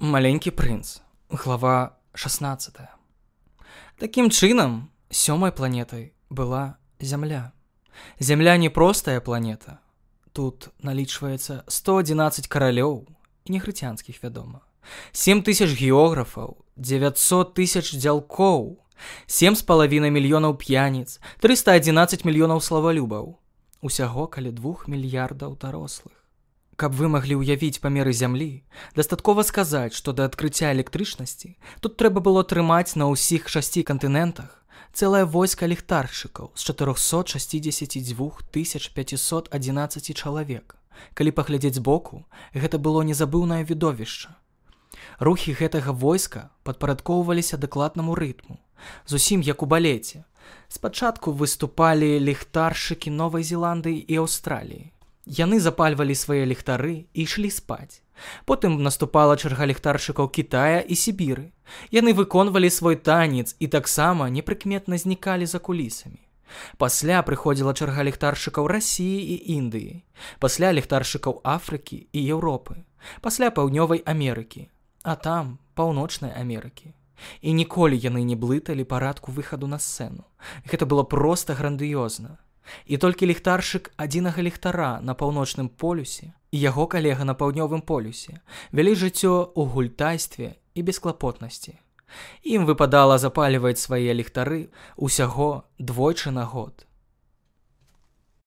Маленькі прынц. Глава 16. Такім чынам, 7-й планетай была Зямля. Зямля не простая планета. Тут налічваецца 111 каралёў і негрыцянскіх, вядома. 7000 географаў, 900 000 дзялкоў, 7,5 мільёнаў п'яніц, 311 мільёнаў славалюбаў. Усяго каля 2 мільярдаў дарослых. Каб вы маглі ўявіць памеры Зямлі, дастаткова сказаць, што да адкрыцця электрычнасці тут трэба было трымаць на ўсіх 6 кантынентах цэлае войска ліхтаршчыкаў з 462 511 чалавек. Калі паглядзець збоку, гэта было незабыўнае відовішча. Рухі гэтага войска падпарадкоўваліся дакладнаму рытму, зусім як у балеце. Спачатку выступалі ліхтаршчыкі Новай Зеландыі і Аўстраліі. Яны запальвалі свае ліхтары і ішлі спаць. Потым наступала чарга ліхтаршчыкаў Кітая і Сібіры. Яны выконвалі свой танец і таксама непрыкметна знікалі за кулісамі. Пасля прыходзіла чарга ліхтаршчыкаў Расіі і Індыі. Пасля ліхтаршчыкаў Афрыкі і Еўропы. Пасля Паўднёвай Амерыкі. А там Паўночнай Амерыкі. І ніколі яны не блыталі парадку выхаду на сцэну. Гэта было проста грандыёзна. І толькі ліхтаршчык адзінага ліхтара на паўночным полюсе і яго калега на паўднёвым полюсе вялі жыццё ў гультайстве і бесклапотнасці. Ім выпадала запальваць свае ліхтары ўсяго двойчы на год.